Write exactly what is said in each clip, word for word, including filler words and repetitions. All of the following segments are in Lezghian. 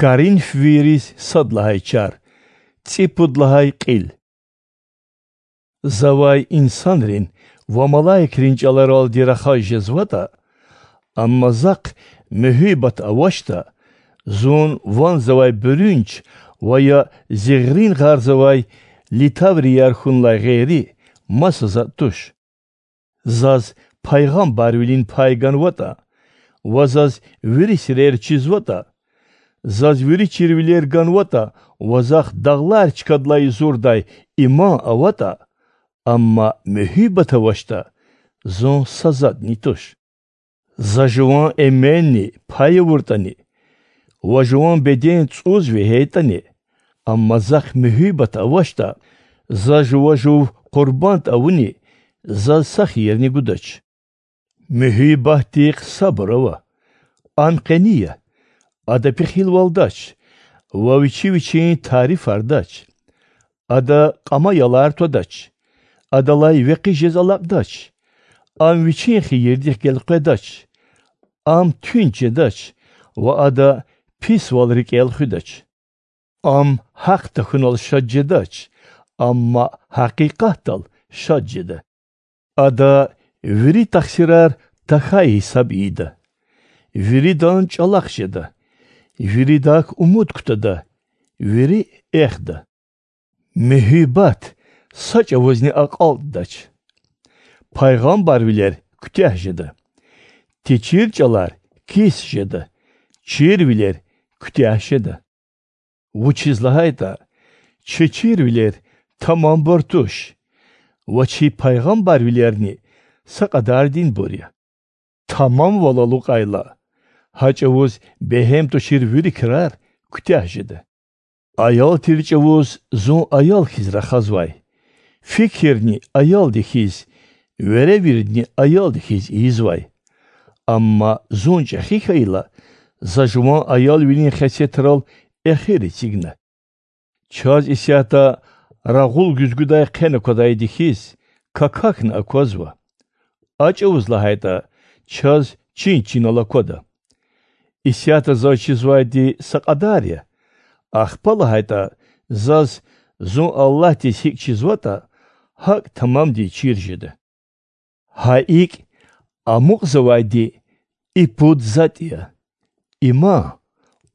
Коринфвийриз сад лагьай чар, цӀипуд лагьай кьил. Завай инсанрин ва малаикрин чӀаларалди рахаз жезватӀа, амма захъ муьгьуьббат авачтӀа, зун ванзавай буьруьнч ва я зигърин гъарзавай литаврияр хьунилай гъейри маса затӀ туш. Заз пайгъамбарвилин пай ганватӀа ва заз вири сирер чизватӀа, заз вири чирвилер ганватӀа ва захъ дагълар чкадилай юзурдай иман аватӀа, амма муьгьуьббат авачтӀа, зун са затӀни туш. За жуван эменни пай авуртӀани ва жуван беден цӀуз вегьейтӀани, амма захъ муьгьуьббат авачтӀа, за жува жув къурбанд авуни, заз са хийирни гудач. Муьгьуьббатдихъ сабур ава. Ам къени я, ада пехилвалдач ва вичи вичин тарифардач. Ада кьама ялар твадач, адалай векъи жез алакьдач. Ам вичин хийирдихъ гелкъведач. Ам туьнт жедач ва ада писвал рикӀел хуьдач. Ам гьахъ тахьунал шад жедач, амма гьакъикъатдал шад жеда. Ада вири тахсирар тахьай гьисаб ийида, виридан чӀалахъ жеда, виридак умуд кутада, вири эхда. Муьгьуьббат са чӀавузни акьалтӀдач. Пайгъамбарвилер куьтягь жеда, течир чӀалар кис жеда, чирвилер куьтягь жеда. Вучиз лагьайтӀа чи чирвилер тамамбур туш ва чи пайгъамбарвилерни са кьадардинбур я. Тамамвал алукьайла, гьа чӀавуз бегьем тушир вири крар куьтягь жеда. Аял тир чӀавуз зун аял хьиз рахазвай, фикирни аялди хьиз, веревирдни аялди хьиз ийизвай. Амма зун чӀехи хьайила, за жуван аялвилин хесетрал эхир эцигна. Чаз исятда рагъул гуьзгуьдай хъен аквадайди хьиз, какахьна аквазва. А чӀавуз лагьайтӀа, чаз чин чинал аквада. Исятда заз чизвайди са кьадар я, ахпа лагьайтӀа, заз зун Аллагьдиз гьикӀ чизватӀа, гьакӀ тамамдин чир жеда. Гьа икӀ, амукьзавайди и пуд затӀ я: иман,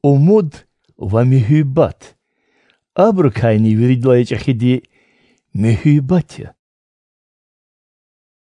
умуд ва муьгьуьббат. Абурукайни виридалай чӀехиди муьгьуьббат я.